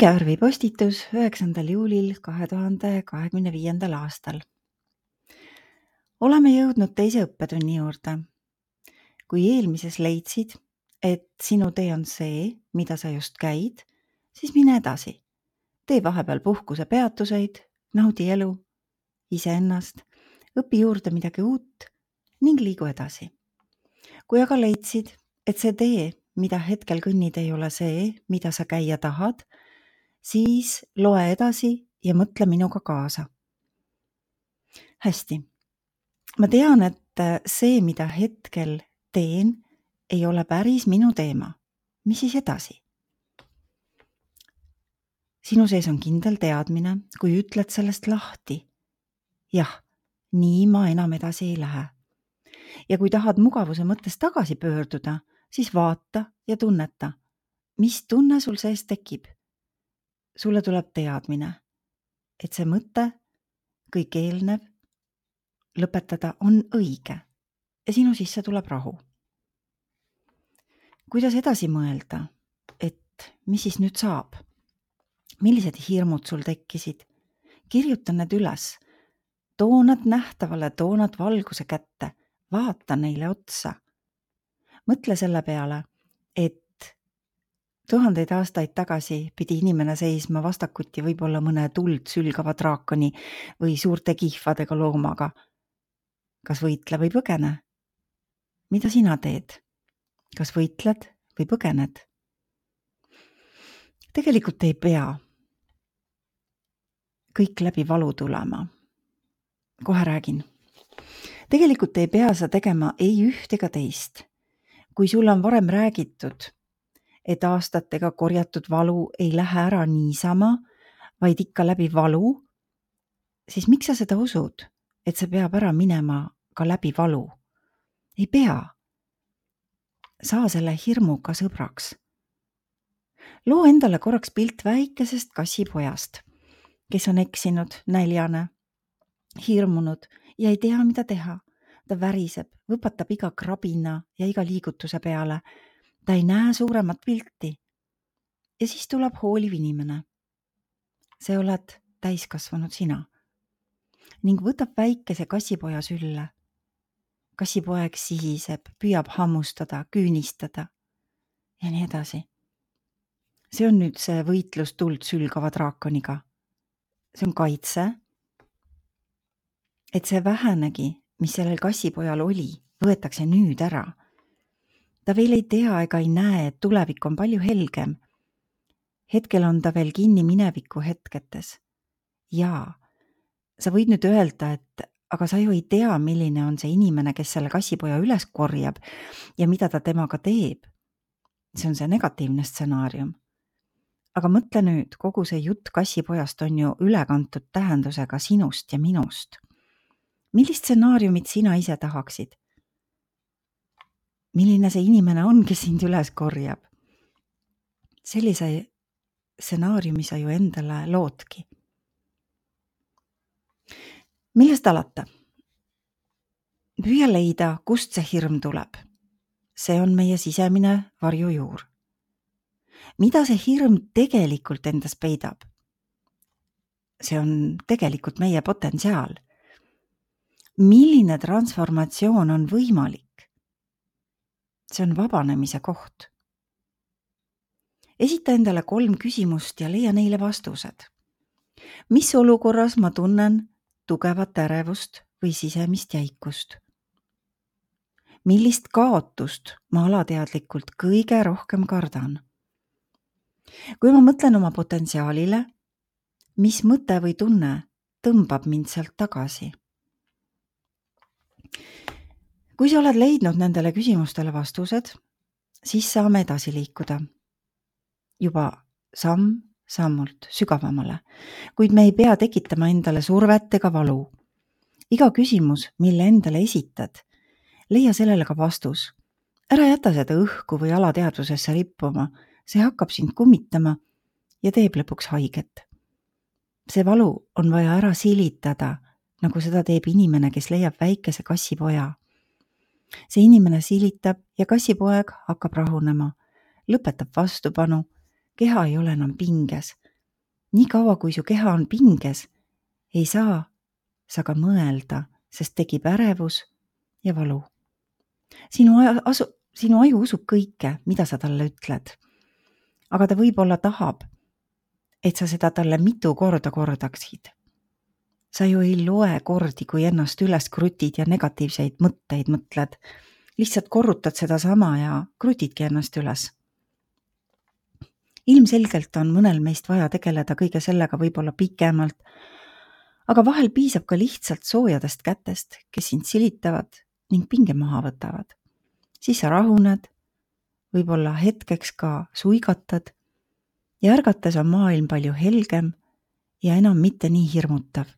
Ingevärvi postitus 9. juulil 2025. aastal. Oleme jõudnud teise õppetunni juurde. Kui eelmises leidsid, et sinu tee on see, mida sa just käid, siis mine edasi. Tee vahepeal puhkuse peatuseid, naudi elu, iseennast, õpi juurde midagi uut ning liigu edasi. Kui aga leidsid, et see tee, mida hetkel kõnnid, ei ole see, mida sa käia tahad, siis loe edasi ja mõtle minuga kaasa. Hästi. Ma tean, et see, mida hetkel teen, ei ole päris minu teema. Mis siis edasi? Sinu sees on kindel teadmine, kui ütled sellest lahti. Jah, nii ma enam edasi ei lähe. Ja kui tahad mugavuse mõttes tagasi pöörduda, siis vaata ja tunneta, mis tunne sul sees tekib. Sulle tuleb teadmine, et see mõte, kõik eelnev, lõpetada on õige ja sinu sisse tuleb rahu. Kuidas edasi mõelda, et mis siis nüüd saab? Millised hirmud sul tekkisid? Kirjuta need üles, too nad nähtavale, too nad valguse kätte, vaata neile otsa. Mõtle selle peale, et 1000 aastaid tagasi pidi inimene seisma vastakuti võib-olla mõne tuld sülgava draakoni või suurte kihvadega loomaga. Kas võitle või põgene? Mida sina teed? Kas võitled või põgened? Tegelikult ei pea kõik läbi valu tulema. Kohe räägin. Tegelikult ei pea sa tegema ei üht ega teist. Kui sul on varem räägitud, et aastatega korjatud valu ei lähe ära niisama, vaid ikka läbi valu, siis miks sa seda usud, et see peab ära minema ka läbi valu? Ei pea. Saa selle hirmuga sõbraks. Loo endale korraks pilt väikesest kassipojast, kes on eksinud, näljane, hirmunud ja ei tea, mida teha. Ta väriseb, võpatab iga krabina ja iga liigutuse peale. Ta ei näe suuremat pilti. Ja siis tuleb hooliv inimene. See oled täiskasvanud sina. Ning võtab väikese kassipoja sülle. Kassipoeg sihiseb, püüab hammustada, küünistada ja nii edasi. See on nüüd see võitlus tuld sülgava draakoniga. See on kaitse. Et see vähenegi, mis sellel kassipojal oli, võetakse nüüd ära. Ta veel ei tea ega ei näe, et tulevik on palju helgem. Hetkel on ta veel kinni mineviku hetketes. Jaa, sa võid nüüd öelda, et aga sa ju ei tea, milline on see inimene, kes selle kassipoja üles korjab ja mida ta temaga teeb. See on see negatiivne stsenaarium. Aga mõtle nüüd, kogu see jutt kassipojast on ju ülekantud tähendusega sinust ja minust. Millist stsenaariumit sina ise tahaksid? Milline see inimene on, kes sind üles korjab? Sellise stsenaariumi sa ju endale loodki. Millest alata? Püüa leida, kust see hirm tuleb. See on meie sisemine varjujuur. Mida see hirm tegelikult endas peidab? See on tegelikult meie potentsiaal. Milline transformatsioon on võimalik? See on vabanemise koht. Esita endale 3 küsimust ja leia neile vastused. Mis olukorras ma tunnen tugevat ärevust või sisemist jäikust? Millist kaotust ma alateadlikult kõige rohkem kardan? Kui ma mõtlen oma potentsiaalile, mis mõte või tunne tõmbab mind sealt tagasi? Kui sa oled leidnud nendele küsimustele vastused, siis saame edasi liikuda. Juba samm-sammult sügavamale, kuid me ei pea tekitama endale survet ega valu. Iga küsimus, mille endale esitad, leia sellele ka vastus. Ära jäta seda õhku või alateadvusesse rippuma, see hakkab sind kummitama ja teeb lõpuks haiget. See valu on vaja ära silitada, nagu seda teeb inimene, kes leiab väikese kassipoja. See inimene silitab ja kassipoeg hakkab rahunema, lõpetab vastupanu, keha ei ole enam pinges, Nii kaua, kui su keha on pinges, ei saa sa ka mõelda, sest tekib ärevus ja valu. Sinu aju usub kõike, mida sa talle ütled. Aga ta võib-olla tahab, et sa seda talle mitu korda kordaksid. Sa ju ei loe kordi, kui ennast üles krutid ja negatiivseid mõtteid mõtled. Lihtsalt korrutad seda sama ja krutidki ennast üles. Ilmselgelt on mõnel meist vaja tegeleda kõige sellega võib-olla pikemalt, aga vahel piisab ka lihtsalt soojadest kätest, kes sind silitavad ning pinge maha võtavad. Siis sa rahuned, võib-olla hetkeks ka suigatad ja ärgates on maailm palju helgem ja enam mitte nii hirmutav.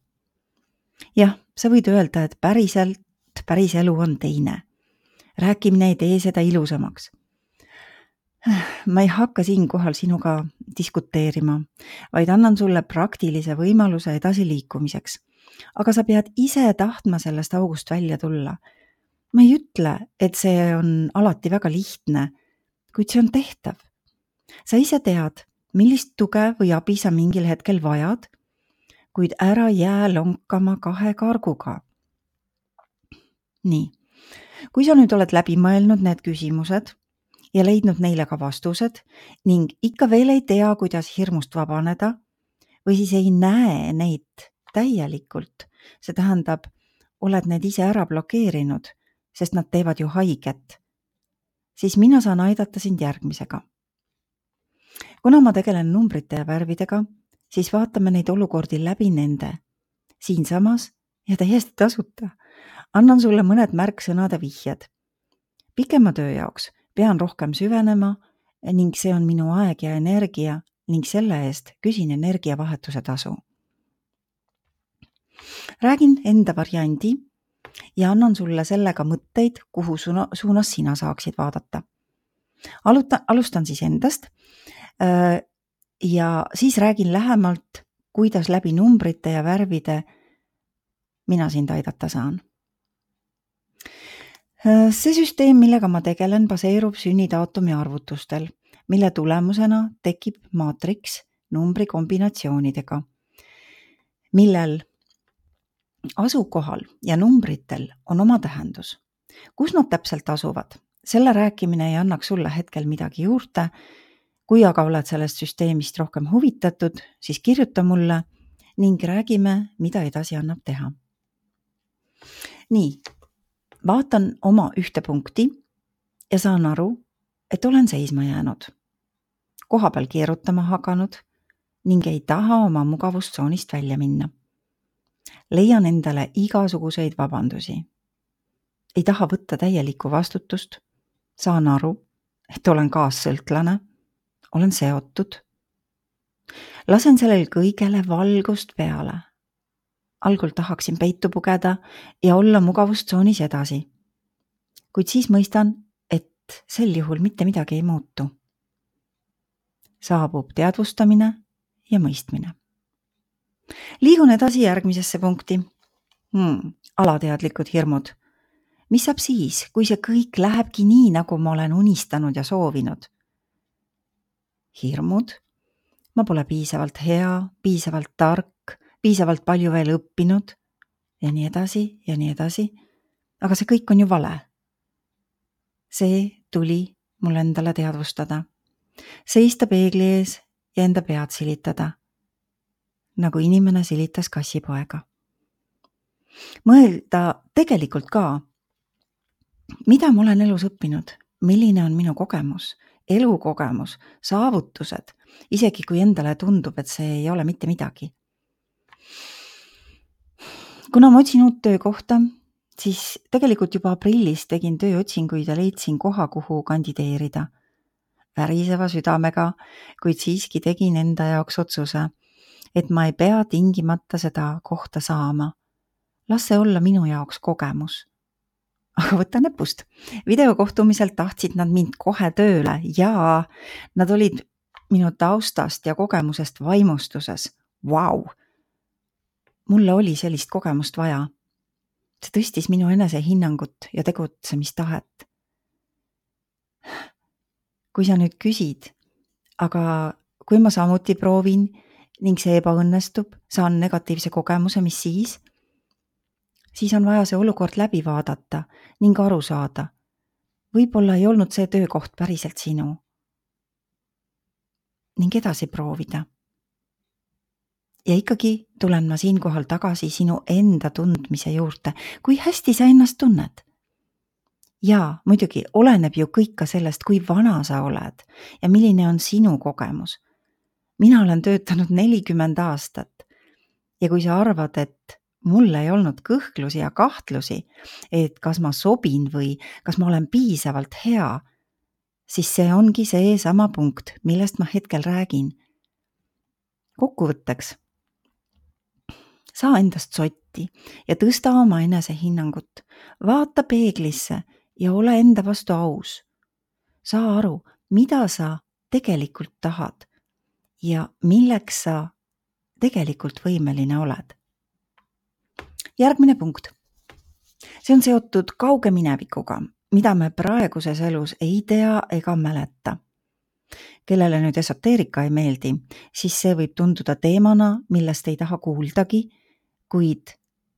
Jah, sa võid öelda, et päris elu on teine. Rääkimine ei tee seda ilusamaks. Ma ei hakka siinkohal sinuga diskuteerima, vaid annan sulle praktilise võimaluse edasi liikumiseks. Aga sa pead ise tahtma sellest august välja tulla. Ma ei ütle, et see on alati väga lihtne, kuid see on tehtav. Sa ise tead, millist tuge või abi sa mingil hetkel vajad, kuid ära jää lonkama 2 karguga. Nii, kui sa nüüd oled läbi mõelnud need küsimused ja leidnud neile ka vastused ning ikka veel ei tea, kuidas hirmust vabaneda või siis ei näe neid täielikult, see tähendab, oled need ise ära blokeerinud, sest nad teevad ju haiget, siis mina saan aidata sind järgmisega. Kuna ma tegelen numbrite ja värvidega, siis vaatame neid olukordi läbi nende, siinsamas ja täiesti tasuta. Annan sulle mõned märksõnade vihjed. Pikema töö jaoks pean rohkem süvenema ning see on minu aeg ja energia ning selle eest küsin energiavahetuse tasu. Räägin enda variandi ja annan sulle sellega mõtteid, kuhu suunas sina saaksid vaadata. Alustan siis endast ja siis räägin lähemalt, kuidas läbi numbrite ja värvide mina sind aidata saan. See süsteem, millega ma tegelen, baseerub sünnidaatumi arvutustel, mille tulemusena tekib maatriks numbri kombinatsioonidega, millel asukohal ja numbritel on oma tähendus. Kus nad täpselt asuvad? Selle rääkimine ei annaks sulle hetkel midagi juurde. Kui aga oled sellest süsteemist rohkem huvitatud, siis kirjuta mulle ning räägime, mida edasi annab teha. Nii, vaatan oma ühte punkti ja saan aru, et olen seisma jäänud, kohapeal keerutama hakanud ning ei taha oma mugavustsoonist välja minna. Leian endale igasuguseid vabandusi. Ei taha võtta täielikku vastutust, saan aru, et olen kaassõltlane, olen seotud. Lasen sellel kõigele valgust peale. Algul tahaksin peitu pugeda ja olla mugavustsoonis edasi. Kuid siis mõistan, et sel juhul mitte midagi ei muutu. Saabub teadvustamine ja mõistmine. Liigun edasi järgmisesse punkti. Alateadlikud hirmud. Mis saab siis, kui see kõik lähebki nii, nagu ma olen unistanud ja soovinud? Hirmud. Ma pole piisavalt hea, piisavalt tark, piisavalt palju veel õppinud ja nii edasi ja nii edasi. Aga see kõik on ju vale. See tuli mul endale teadvustada. Seista peegli ees ja enda pead silitada, nagu inimene silitas kassipoega. Mõelda tegelikult ka, mida ma olen elus õppinud, milline on minu kogemus, elukogemus, saavutused, isegi kui endale tundub, et see ei ole mitte midagi. Kuna ma otsin uut töökohta, siis tegelikult juba aprillis tegin tööotsinguid ja leidsin koha, kuhu kandideerida. Väriseva südamega, kuid siiski tegin enda jaoks otsuse, et ma ei pea tingimata seda kohta saama. Las see olla minu jaoks kogemus. Aga võta näpust. Videokohtumiselt tahtsid nad mind kohe tööle ja nad olid minu taustast ja kogemusest vaimustuses. Vau! Mulle oli sellist kogemust vaja. See tõstis minu enesehinnangut ja tegutsemistahet. Kui sa nüüd küsid, aga kui ma samuti proovin ning see ebaõnnestub, saan negatiivse kogemuse, mis siis? Siis on vaja see olukord läbi vaadata ning aru saada. Võib-olla ei olnud see töökoht päriselt sinu. Ning edasi proovida. Ja ikkagi tulen ma siinkohal tagasi sinu enda tundmise juurde, kui hästi sa ennast tunned. Ja muidugi oleneb ju kõik ka sellest, kui vana sa oled ja milline on sinu kogemus. Mina olen töötanud 40 aastat ja kui sa arvad, et mul ei olnud kõhklusi ja kahtlusi, et kas ma sobin või kas ma olen piisavalt hea, siis see ongi see sama punkt, millest ma hetkel räägin. Kokkuvõtteks. Saa endast sotti ja tõsta oma enesehinnangut. Vaata peeglisse ja ole enda vastu aus. Saa aru, mida sa tegelikult tahad ja milleks sa tegelikult võimeline oled. Järgmine punkt. See on seotud kauge minevikuga, mida me praeguses elus ei tea ega mäleta. Kellele nüüd esoteerika ei meeldi, siis see võib tunduda teemana, millest ei taha kuuldagi, kuid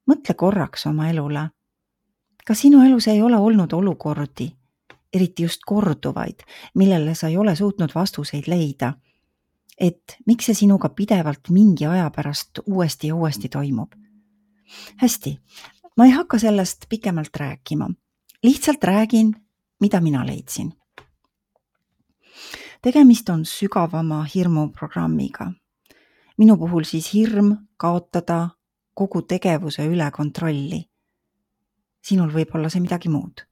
mõtle korraks oma elule. Kas sinu elus ei ole olnud olukordi, eriti just korduvaid, millele sa ei ole suutnud vastuseid leida, et miks see sinuga pidevalt mingi aja pärast uuesti ja uuesti toimub? Hästi, ma ei hakka sellest pikemalt rääkima. Lihtsalt räägin, mida mina leidsin. Tegemist on sügavama hirmuprogrammiga. Minu puhul siis hirm kaotada kogu tegevuse üle kontrolli. Sinul võib olla see midagi muud.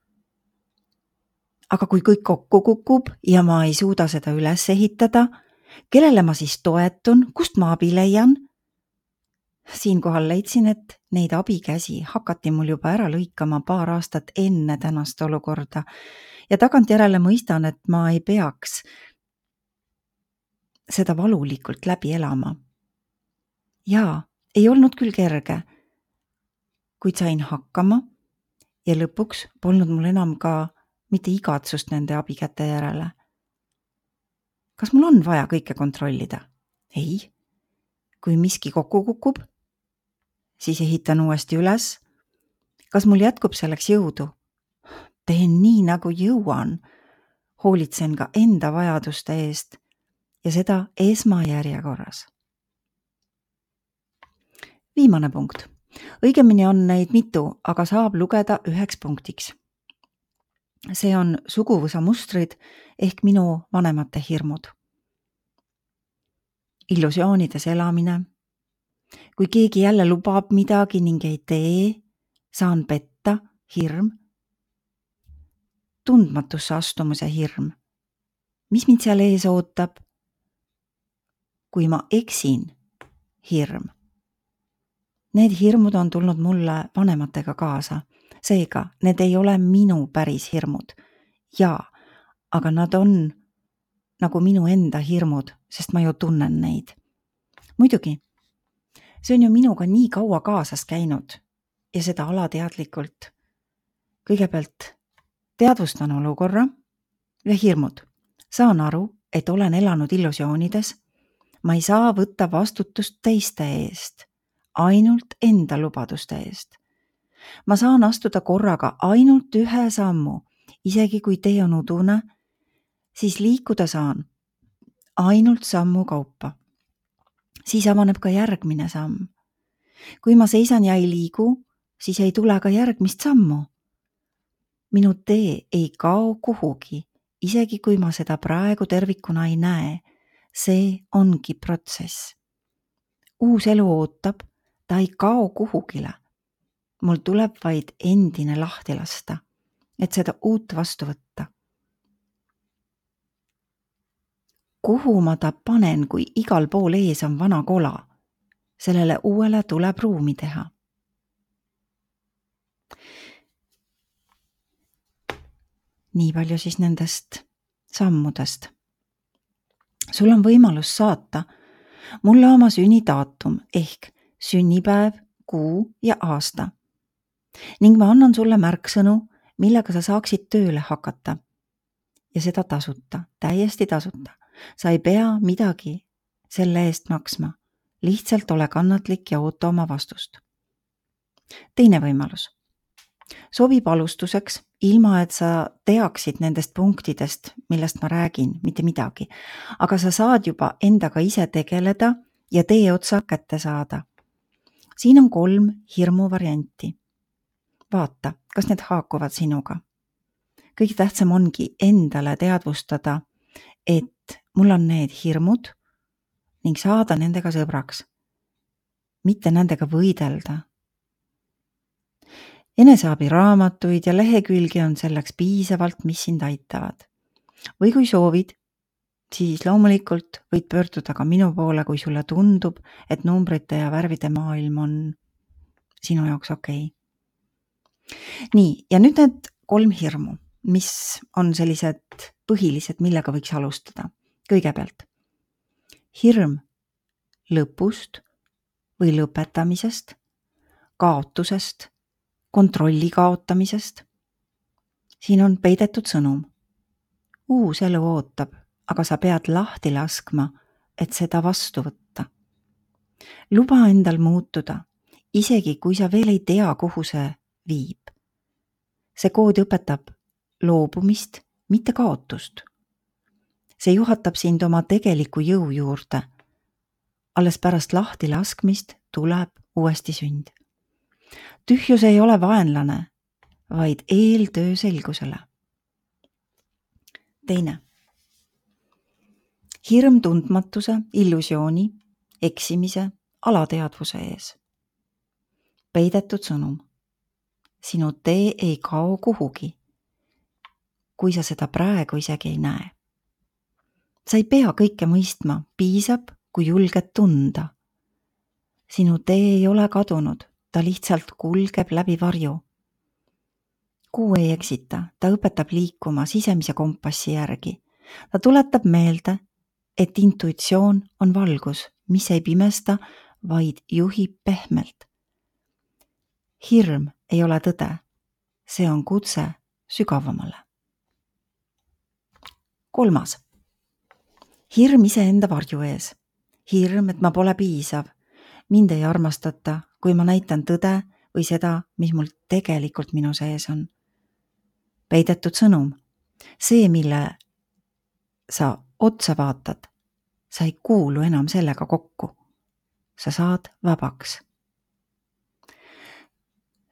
Aga kui kõik kokku kukub ja ma ei suuda seda üles ehitada, kellele ma siis toetun, kust ma abi leian? Siinkohal leidsin, et neid abikäsi hakati mul juba ära lõikama paar aastat enne tänast olukorda ja tagantjärele mõistan, et ma ei peaks seda valulikult läbi elama. Jaa, ei olnud küll kerge, kuid sain hakkama ja lõpuks polnud mul enam ka mitte igatsust nende abikäte järele. Kas mul on vaja kõike kontrollida? Ei. Kui miski kokku kukub, siis ehitan uuesti üles. Kas mul jätkub selleks jõudu? Teen nii, nagu jõuan. Hoolitsen ka enda vajaduste eest ja seda esmajärjekorras. Viimane punkt. Õigemini on neid mitu, aga saab lugeda üheks punktiks. See on suguvõsa mustrid ehk minu vanemate hirmud. Illusioonides elamine. Kui keegi jälle lubab midagi ning ei tee, saan petta, hirm. Tundmatusse astumise hirm. Mis mind seal ees ootab? Kui ma eksin, hirm. Need hirmud on tulnud mulle vanematega kaasa. Seega, need ei ole minu päris hirmud. Jaa, aga nad on nagu minu enda hirmud, sest ma ju tunnen neid. Muidugi, see on ju minuga nii kaua kaasas käinud ja seda alateadlikult. Kõigepealt teadvustan olukorra ja hirmud. Saan aru, et olen elanud illusioonides. Ma ei saa võtta vastutust teiste eest, ainult enda lubaduste eest. Ma saan astuda korraga ainult ühe sammu, isegi kui tee on udune, siis liikuda saan ainult sammu kaupa. Siis avaneb ka järgmine samm. Kui ma seisan ja ei liigu, siis ei tule ka järgmist sammu. Minu tee ei kao kuhugi, isegi kui ma seda praegu tervikuna ei näe. See ongi protsess. Uus elu ootab, ta ei kao kuhugile. Mul tuleb vaid endine lahti lasta, et seda uut vastu võtta. Kuhu ma ta panen, kui igal pool ees on vana kola? Sellele uuele tuleb ruumi teha. Nii palju siis nendest sammudest. Sul on võimalus saata mulle oma sünnidaatum ehk sünnipäev, kuu ja aasta. Ning ma annan sulle märksõnu, millega sa saaksid tööle hakata. Ja seda tasuta, täiesti tasuta. Sa ei pea midagi selle eest maksma. Lihtsalt ole kannatlik ja oota oma vastust. Teine võimalus. Sobib alustuseks, ilma et sa teaksid nendest punktidest, millest ma räägin, mitte midagi. Aga sa saad juba endaga ise tegeleda ja tee otsa kätte saada. Siin on 3 hirmu varianti. Vaata, kas need haakuvad sinuga. Kõige tähtsam ongi endale teadvustada, et mul on need hirmud ning saada nendega sõbraks. Mitte nendega võidelda. Eneseabiraamatuid ja lehekülgi on selleks piisavalt, mis sind aitavad. Või kui soovid, siis loomulikult võid pöörduda ka minu poole, kui sulle tundub, et numbrite ja värvide maailm on sinu jaoks okei. Nii, ja nüüd need 3 hirmu, mis on sellised põhilised, millega võiks alustada. Kõigepealt, hirm lõpust või lõpetamisest, kaotusest, kontrolli kaotamisest. Siin on peidetud sõnum. Uus elu ootab, aga sa pead lahti laskma, et seda vastu võtta. Luba endal muutuda, isegi kui sa veel ei tea, kuhu see viib. See kood õpetab loobumist, mitte kaotust. See juhatab sind oma tegeliku jõu juurde. Alles pärast lahti laskmist tuleb uuesti sünd. Tühjus ei ole vaenlane, vaid eeltöö selgusele. Teine. Hirm tundmatuse, illusiooni, eksimise, alateadvuse ees. Peidetud sõnum. Sinu tee ei kao kuhugi, kui sa seda praegu isegi ei näe. Sa ei pea kõike mõistma, piisab, kui julged tunda. Sinu tee ei ole kadunud, ta lihtsalt kulgeb läbi varju. Kuu ei eksita, ta õpetab liikuma sisemise kompassi järgi. Ta tuletab meelde, et intuitsioon on valgus, mis ei pimesta, vaid juhib pehmelt. Hirm ei ole tõde, see on kutse sügavamale. 3. Hirm iseenda varju ees. Hirm, et ma pole piisav. Mind ei armastata, kui ma näitan tõde või seda, mis mul tegelikult minu sees on. Peidetud sõnum. See, mille sa otsa vaatad, sa ei kuulu enam sellega kokku. Sa saad vabaks.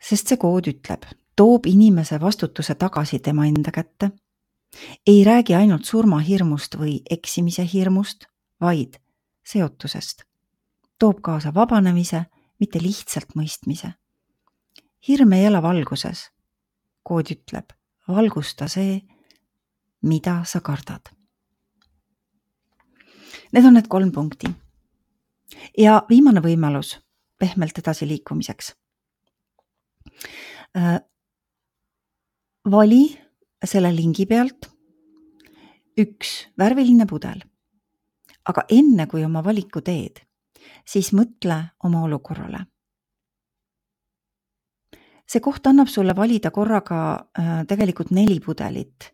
Sest see kood ütleb, toob inimese vastutuse tagasi tema enda kätte. Ei räägi ainult surmahirmust või eksimise hirmust, vaid seotusest. Toob kaasa vabanemise, mitte lihtsalt mõistmise. Hirm ei ela valguses. Kood ütleb, valgusta see, mida sa kardad. Need on need 3 punkti. Ja viimane võimalus pehmelt edasi liikumiseks. Vali selle lingi pealt 1 värviline pudel. Aga enne kui oma valiku teed, siis mõtle oma olukorrale. See koht annab sulle valida korraga tegelikult 4 pudelit,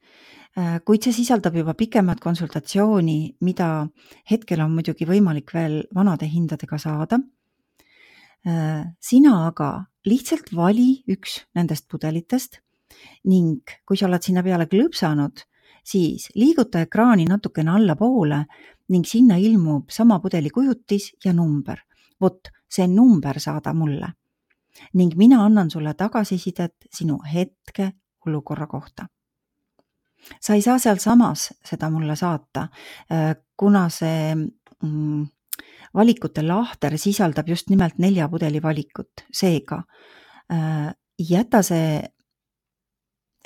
kuid see sisaldab juba pikemat konsultatsiooni, mida hetkel on muidugi võimalik veel vanade hindadega saada. Sina aga lihtsalt vali 1 nendest pudelitest ning kui sa oled sinna peale klõpsanud, siis liiguta ekraani natukene allapoole ning sinna ilmub sama pudeli kujutis ja number. Vot, see number saada mulle. Ning mina annan sulle tagasisidet sinu hetke olukorra kohta. Sa ei saa seal samas seda mulle saata, kuna see valikute lahter sisaldab just nimelt 4 pudeli valikut. Seega, jäta see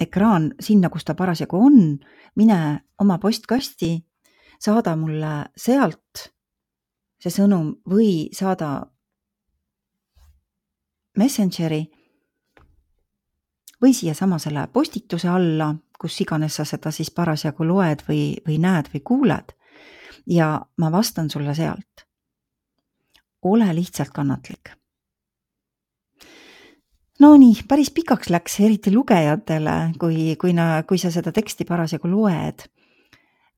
ekraan sinna, kus ta parasjagu on, mine oma postkasti, saada mulle sealt see sõnum või saada Messengeri või siia samasele postituse alla, kus iganes sa seda siis parasjagu loed või näed või kuuled ja ma vastan sulle sealt. Ole lihtsalt kannatlik. No nii, päris pikaks läks eriti lugejatele, kui sa seda teksti parasjagu loed.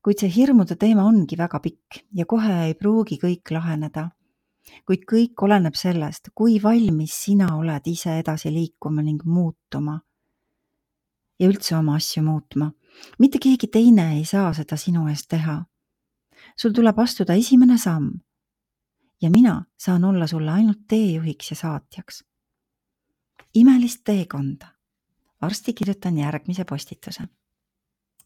Kuid see hirmude teema ongi väga pikk ja kohe ei pruugi kõik laheneda. kuid kõik oleneb sellest, kui valmis sina oled ise edasi liikuma ning muutuma ja üldse oma asju muutma. Mitte keegi teine ei saa seda sinu eest teha. Sul tuleb astuda esimene samm ja mina saan olla sulle ainult teejuhiks ja saatjaks. Imelist teekonda. Varsti kirjutan järgmise postituse.